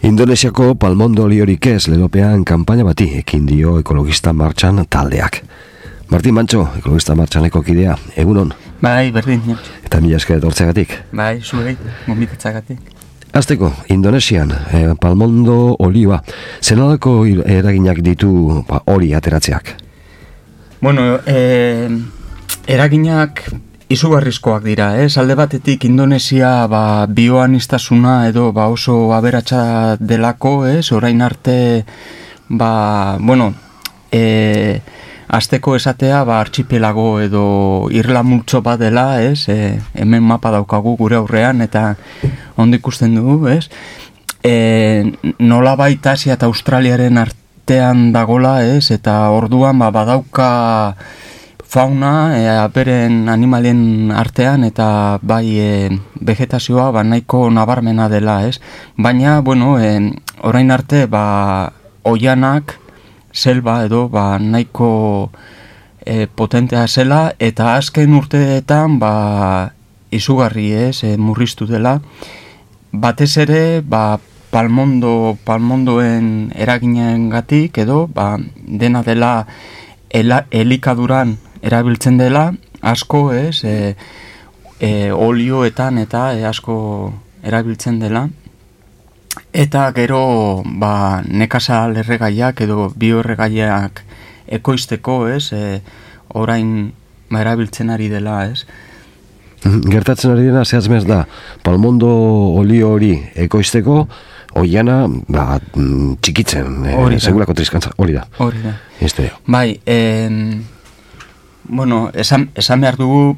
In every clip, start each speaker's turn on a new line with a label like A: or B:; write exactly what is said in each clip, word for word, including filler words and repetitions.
A: Indonesiako palmondo oliorik ez lelopean kanpaina bati ekin dio ekologista martxan taldeak. Martin Mantxo, ekologista martxaneko kidea, egunon?
B: Bai, berdin. Ja.
A: Eta mila esker etortzeagatik?
B: Bai, zuei, gomitatzagatik.
A: Azteko, Indonesian, eh, palmondo olioa, zenolako eraginak ditu ba, hori ateratzeak?
B: Bueno, eh, eraginak izugarrizkoak dira, ez? Alde batetik Indonesia ba, bioanistasuna edo ba, oso aberatsa delako, ez? Orain arte, ba, bueno, eh, azteko esatea, ba, archipelago edo irla multzo bat dela, ez? E, hemen mapa daukagu gure aurrean, eta ondo ikusten dugu, ez? E, nola baita Asia eta Australiaren artean dagola, ez? Eta orduan, ba, badauka fauna, e, beren animalien artean, eta bai e, vegetazioa ba, nahiko nabarmena dela, ez? Baina, bueno, e, orain arte, ba, oianak, selba edo ba, nahiko e, potentea zela, eta azken urteetan ba, izugarri ez, e, murriztu dela. Batez ere, ba, palmondo, palmondoen eraginengatik edo ba, dena dela ela, elikaduran erabiltzen dela, asko ez, e, e, olioetan eta e, asko erabiltzen dela. Eta gero ba, nekazal erregaiak edo bioerregaiak ekoizteko, ez, e, orain ba, erabiltzen ari dela, ez.
A: Gertatzen ari dena zehazmez da, palmondo olio hori ekoizteko, oiana ba, txikitzen, e, segulako triskantza, hori da.
B: Hori da.
A: Este.
B: Bai, e, bueno, esan, esan behar dugu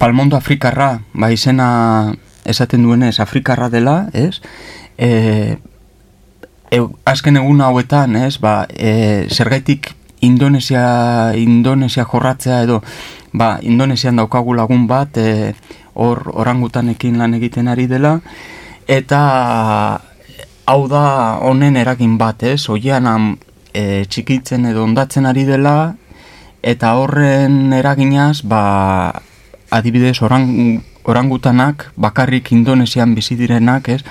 B: palmondo afrikarra, ba, izena esaten duenez afrikarra dela, ez? E, e, azken egun hauetan, ez? Ba, e, zergaitik Indonesia, Indonesia jorratzea edo, ba, Indonesian daukagu lagun bat, e, hor orangutanekin lan egiten ari dela, eta hau da honen eragin bat, ez? Oianan e, txikitzen edo ondatzen ari dela, eta horren eraginaz, ba, adibidez orang orangutanak, bakarrik Indonesian bizi direnak, ez,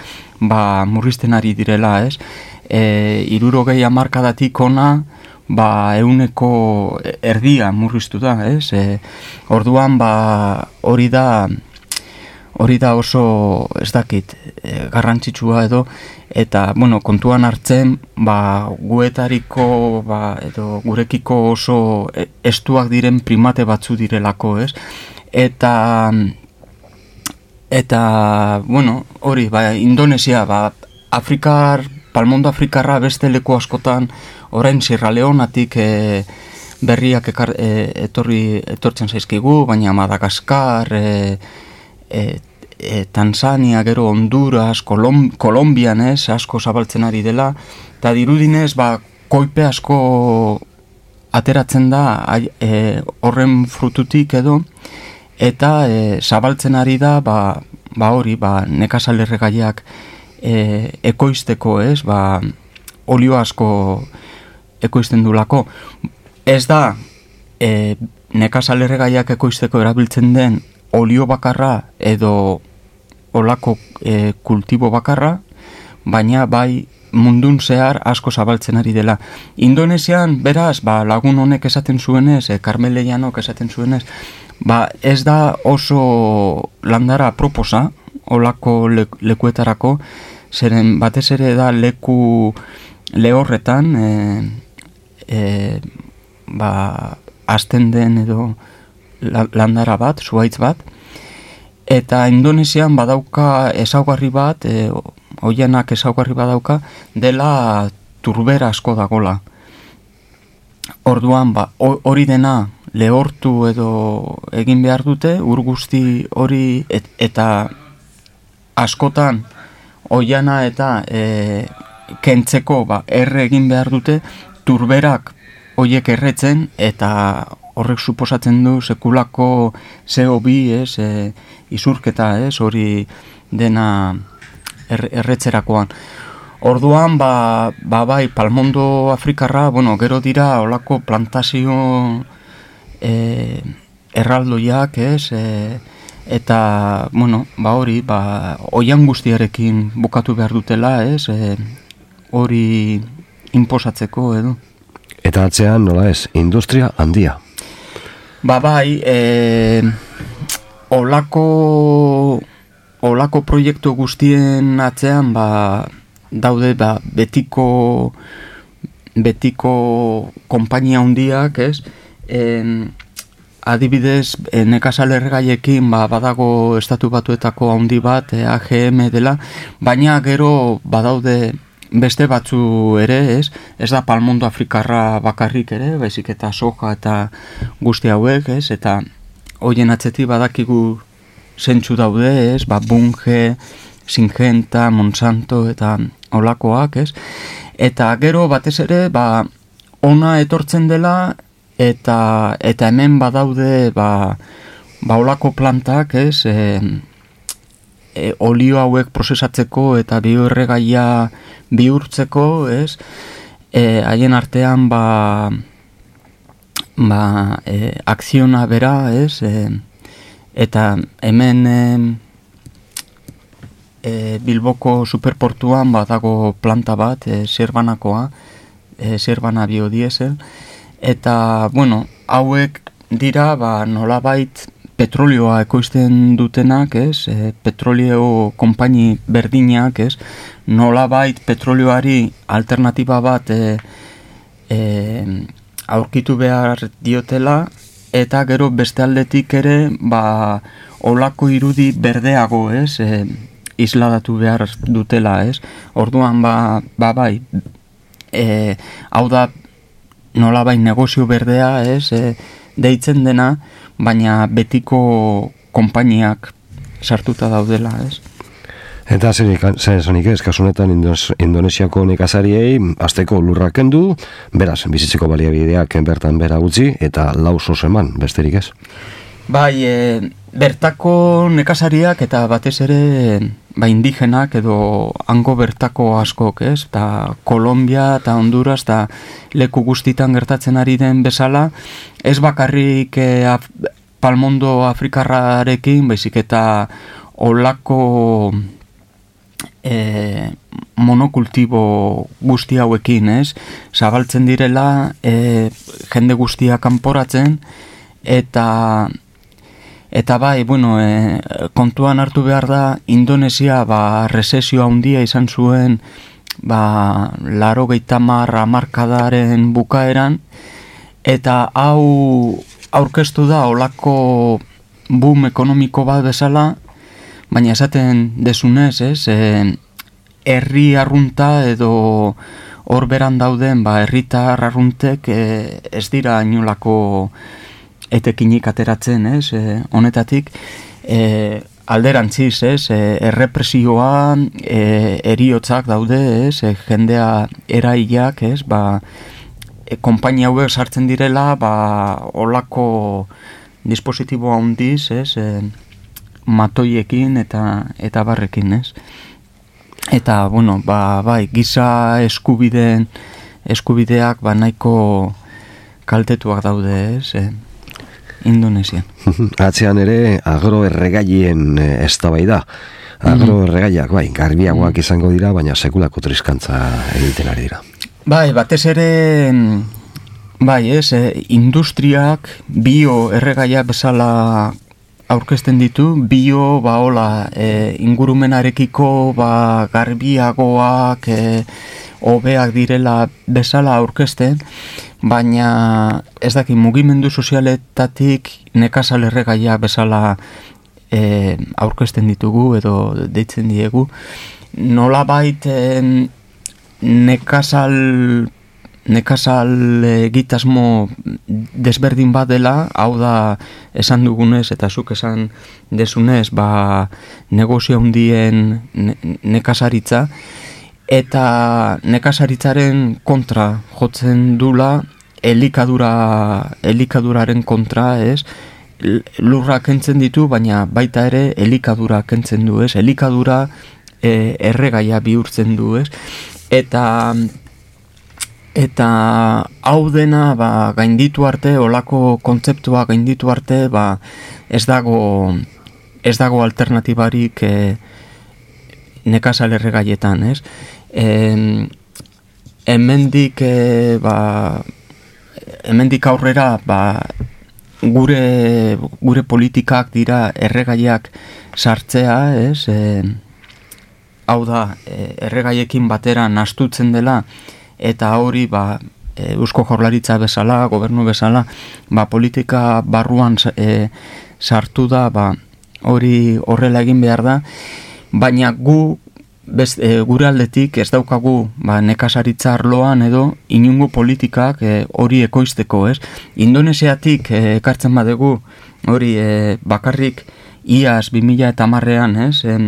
B: ba, murrizten ari direla, ez, e, irurogei hamarkadatik ona, ba, euneko erdia murriztu da, ez, e, orduan, ba, hori da, hori da oso, ez dakit, e, garrantzitsua edo, eta, bueno, kontuan hartzen, ba, guetariko, ba, edo gurekiko oso estuak diren primate batzu direlako, ez, eta Eta, bueno, hori, ba, Indonesia, ba, Afrikar, palmondo afrikarra beste leku askotan, orain Sierra Leonatik e, berriak ekar, e, etorri, etortzen zaizkigu, baina Madagaskar, e, e, e, Tanzania, gero Honduras, Kolom, Kolombian ez, asko zabaltzen ari dela, eta dirudinez, ba, koipe asko ateratzen da, e, horren frututik edo, eta e, zabaltzen ari da, ba, ba hori, ba, nekazal erregaiak e, ekoizteko, ez, ba, olio asko ekoizten dulako. Ez da, e, nekazal erregaiak ekoizteko erabiltzen den olio bakarra edo olako e, kultibo bakarra, baina bai mundun zehar asko zabaltzen ari dela. Indonesian, beraz, ba, lagun honek esaten zuenez, e, Carmele Llanok esaten zuenez, ba, ez da oso landara proposa, olako le, lekuetarako, zeren batez ere da leku lehorretan, e, e, ba, azten den edo landara bat, zuhaitz bat, eta Indonesian badauka ezaugarri bat, e, oianak ezaugarri badauka, dela turbera asko dagola. Orduan, ba, hori dena lehortu edo egin behar dute, ur guzti hori et, eta askotan oiana eta e, kentzeko ba, erre egin behar dute, turberak horiek erretzen eta horrek suposatzen du sekulako C O bi, ez, e, izurketa, ez, hori dena er, erretzerakoan. Orduan, ba, ba bai, palmondo afrikarra, bueno, gero dira olako plantazio e, erraldoiak, ez, e, eta, bueno, ba hori, ba, oian guztiarekin bukatu behar dutela, ez, e, hori inposatzeko, edo.
A: Eta atzean, nola ez, industria handia.
B: Ba bai, e, olako, olako proiektu guztien atzean, ba, daude, ba, betiko, betiko konpainia handiak, ez, en, adibidez, nekazal erregaiekin ba, badago estatu batuetako handi bat, A G M dela, baina gero badaude beste batzu ere, ez? Ez da palmondo afrikarra bakarrik ere, baizik eta soja eta guzti hauek, ez? Eta hoien atzetik badakigu zentzu daude, ez? Ba, Bunge, Syngenta, Monsanto eta olakoak, ez? Eta gero batez ere, ba, ona etortzen dela, eta eta hemen badaude ba, ba olako plantak, ez, e, e, olio hauek prozesatzeko eta bioerregaia bihurtzeko, ez, e, haien artean ba, ba e, akziona bera, ez, e, eta hemen e, e, Bilboko superportuan badago planta bat, e, Zerbanakoa, e, Zerbana biodiesel, eta, bueno, hauek dira, ba, nolabait petrolioa ekoizten dutenak, ez, e, petrolio konpaini berdinak, ez, nolabait petrolioari alternatiba bat e, e, aurkitu behar diotela, eta gero beste aldetik ere, ba, olako irudi berdeago, ez, e, isladatu behar dutela, ez, orduan, ba, ba bai, e, hau da, nola bai negozio berdea, ez, e, deitzen dena, baina betiko konpainiak sartuta daudela, ez.
A: Eta zen esanik ez, kasunetan Indonesiako nekazariei azteko lurrak kendu, beraz, bizitzeko baliabideak bertan bera utzi, eta lau sos eman, besterik ez.
B: Bai, e, bertako nekazariak eta batez ere ba, indigenak edo hango bertako askok, ez? Eta Kolombia eta Honduras eta leku guztitan gertatzen ari den bezala, ez bakarrik e, af, palmondo afrikarrarekin, baizik eta olako e, monokultibo guzti hauekin, ez? Zabaltzen direla e, jende guztia kanporatzen, eta Eta bai, bueno, e, kontuan hartu behar da, Indonesia ba, resesio handia izan zuen ba, laro geitamar amarkadaren bukaeran, eta hau aurkeztu da olako boom ekonomiko bat bezala, baina esaten desunez, ez, e, herri arrunta edo hor beran dauden ba, herritar arruntek e, ez dira inolako etekinik ateratzen, ez, e, honetatik, e, alderantziz, ez, e, errepresioa, e, eriotzak daude, ez, e, jendea erailak, ez, ba, e, konpainia hauek sartzen direla, ba, olako dispositibo handiz, ez, e, matoiekin eta eta barrekin, ez. Eta, bueno, ba, bai, giza eskubideen eskubideak, ba, nahiko kaltetuak daude, ez, e, Indonesian.
A: Atzean ere agroerregaien eztabaida. Agroerregaiak, bai, garbiagoak izango dira, baina sekulako triskantza egiten ari dira.
B: Bai, batez ere, bai, ez, eh, industriak bio erregaia bezala aurkezten ditu, bio, ba, hola, eh, ingurumenarekiko, ba, garbiagoak, eh, hobeak direla bezala aurkezten, baina ez daki mugimendu sozialetatik nekazal erregaia bezala e, aurkezten ditugu edo deitzen diegu. Nolabait e, nekazal nekazal egitasmo desberdin bat dela, hau da esan dugunez eta zuk esan desunez, ba, negozio handien ne, nekazaritza, eta nekazaritzaren kontra jotzen dula, elikadura, elikaduraren kontra, ez? Lurra kentzen ditu, baina baita ere elikadura kentzen du, ez? Elikadura e, erregaia bihurtzen du, ez? Eta eta hau dena ba, gainditu arte, olako kontzeptua gainditu arte, ba, ez dago ez dago alternatibarik e, nekazal erregaietan, ez? E, hemendik e, ba, hemendik aurrera ba, gure, gure politikak dira erregaiak sartzea, ez? E, hau da, e, erregaiekin batera nastutzen dela, eta hori ba, e, Eusko Jaurlaritza bezala, gobernu bezala, ba, politika barruan e, sartu da, ba, hori horrela egin behar da, baina gu Bez, e, gure aldetik ez daukagu ba, nekazaritza arloan edo inungo politikak e, hori ekoizteko, ez? Indonesiatik e, ekartzen badegu hori e, bakarrik iaz bi mila eta hamarrean, ez? E,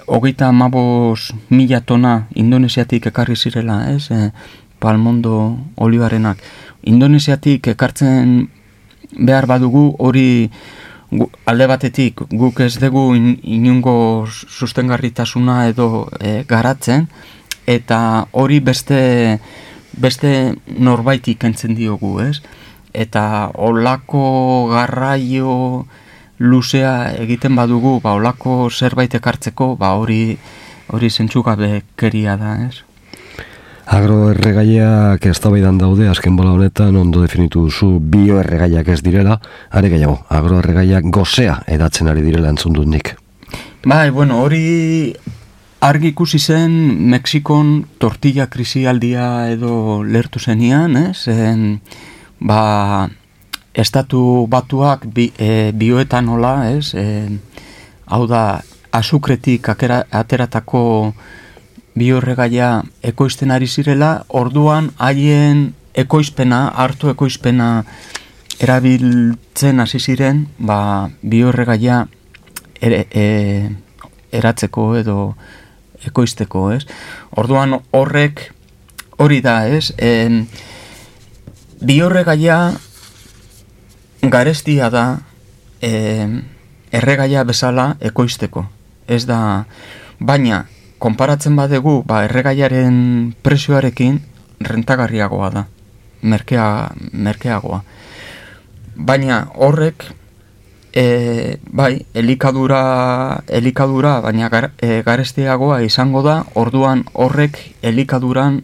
B: hogeita hamabost mila tona Indonesiatik ekarri zirela, ez? E, palmondo olibarenak. Indonesiatik ekartzen behar badugu hori alde batetik guk ez dugu in, inungo sustengarritasuna edo e, garatzen, eta hori beste beste norbaiti kentzen diogu, ez? Eta olako garraio luzea egiten badugu, ba olako zerbait ekartzeko, ba hori hori zentzugabekeria da, ez?
A: Agroerregaiak eztabaidan daude, azken bola honetan ondo definitu duzu bioerregaiak ez direla, are gehiago, agroerregaiak gozea edatzen ari direla entzun dut nik.
B: Bai, bueno, hori argi ikusi zen Mexikon tortilla krisialdia edo lertu zenian, ez? En, ba, estatu batuak bi, e, bioetanola, ez? E, hau da, azukretik akera, ateratako bioerregaia ekoizten ari zirela, orduan haien ekoizpena, hartu ekoizpena erabiltzen hasi ziren, ba, bioerregaia ere, e, eratzeko edo ekoizteko, ez? Orduan horrek hori da, ez? E, bioerregaia garestia da e, erregaia bezala ekoizteko. Ez da, baina konparatzen badegu, ba, erregaiaren prezioarekin rentagarriagoa da, merkea, merkeagoa. Baina horrek, e, bai, elikadura, elikadura, baina gar, e, garestiagoa izango da, orduan horrek elikaduran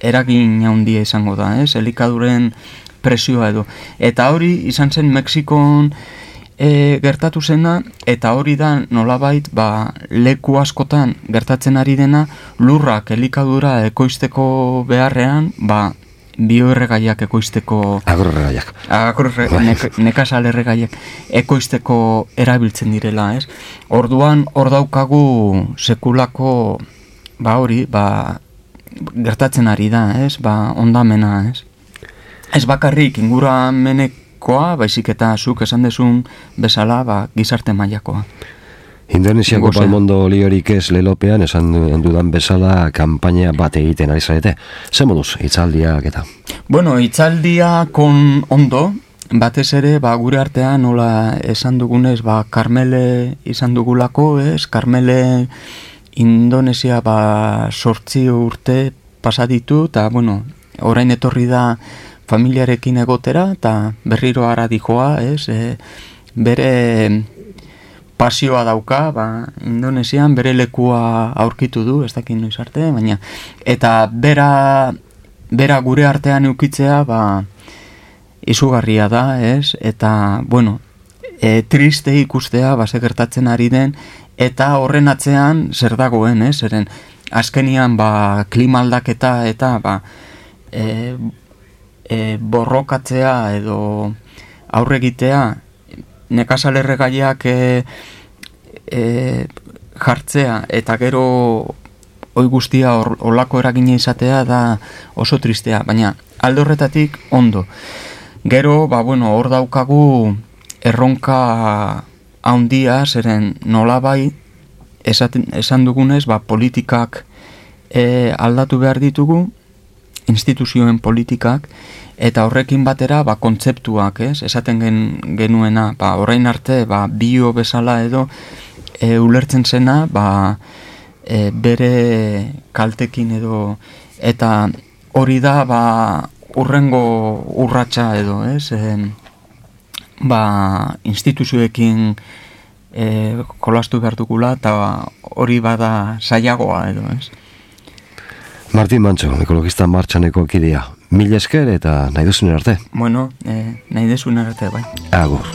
B: eragin handia izango da, ez? Elikaduren prezioa edo. Eta hori izan zen Mexikon E, gertatu zena, eta hori da nolabait ba, leku askotan gertatzen ari dena, lurrak elikadura ekoizteko beharrean, ba, bioerregaiak ekoizteko
A: agroerregaiak
B: agroerregaiak nekazal erregaiak ekoizteko erabiltzen direla, ez? Orduan hor daukagu sekulako ba hori, ba, gertatzen ari da, ez? Ba, ondamena, ez? Ez bakarrik inguramenek koa, baizik eta zuk esan dezun bezala, ba, gizarte mailakoa.
A: Indonesiako palmondo oliorik ez lelopean, esan dudan bezala, kanpaina bat egiten ari zarete. Zer moduz, hitzaldiak eta?
B: Bueno, hitzaldia kon ondo, batez ere, ba, gure artean, nola esan dugunez, ba, Karmele izan dugulako, ez? Karmele Indonesia, ba, sortzi urte pasaditu, eta, bueno, orain etorri da familiarekin egotera, eta berriro ara dijoa, ez? E, bere pasioa dauka, ba, Indonesian, bere lekua aurkitu du, ez dakit noiz arte, baina, eta bera, bera gure artean eukitzea, ba, izugarria da, ez? Eta, bueno, e, triste ikustea, ba, ze gertatzen ari den, eta horren atzean zer dagoen, ez? Zeren, azkenian, ba, klima aldaketa, eta, ba, e, E, borrokatzea edo aurregitea nekazal erregaiak e, e, jartzea eta gero oi guztia olako eragina izatea da oso tristea, baina alde horretatik ondo. Gero, ba, bueno, hor daukagu erronka handia, zeren nolabai esaten, esan dugunez, ba, politikak e, aldatu behar ditugu, instituzioen politikak, eta horrekin batera, ba, kontzeptuak, ez? Esaten gen, genuena, ba, orain arte, ba, bio bezala edo, e, ulertzen zena, ba, e, bere kaltekin edo, eta hori da, ba, urrengo urratsa edo, ez? E, ba, instituzioekin e, kolastu behar dugula, eta hori bada saiagoa edo, ez?
A: Martin Mantxo, ekologista martxaneko kidea. Mil esker eta nahi duzun arte.
B: Bueno, e, nahi duzun arte, bai.
A: Agur.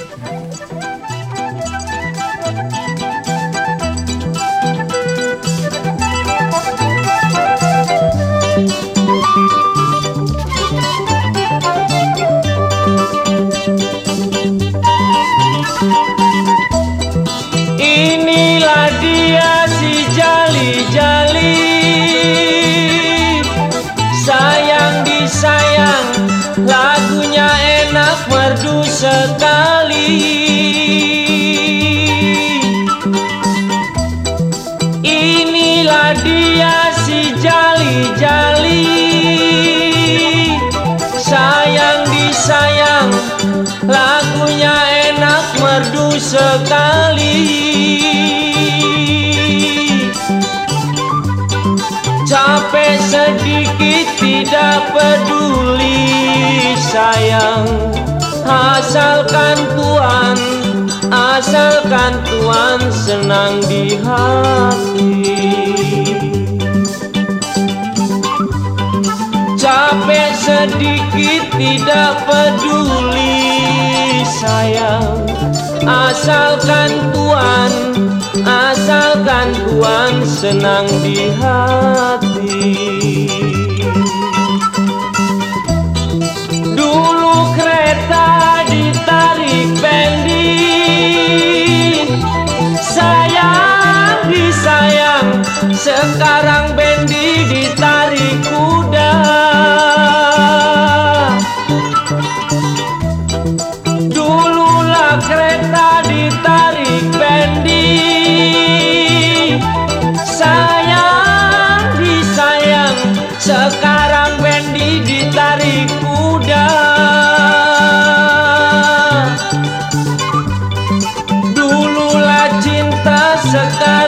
C: Inilah dia si jali-jali, sayang disayang, lagunya enak merdu sekali. Inilah dia si jali-jali, sayang disayang, lagunya enak merdu sekali. Capek sedikit tidak peduli sayang, asalkan Tuhan, asalkan Tuhan senang di hati. Capek sedikit tidak peduli sayang, asalkan Tuhan, asalkan Tuhan senang di hati. Dulu kereta ditarik bendi, sayang disayang, sekarang bendi ditarik kuda. Dululah kereta ditarik bendi, sayang disayang, sekarang bendi ditarik kuda. Dululah cinta, sekarang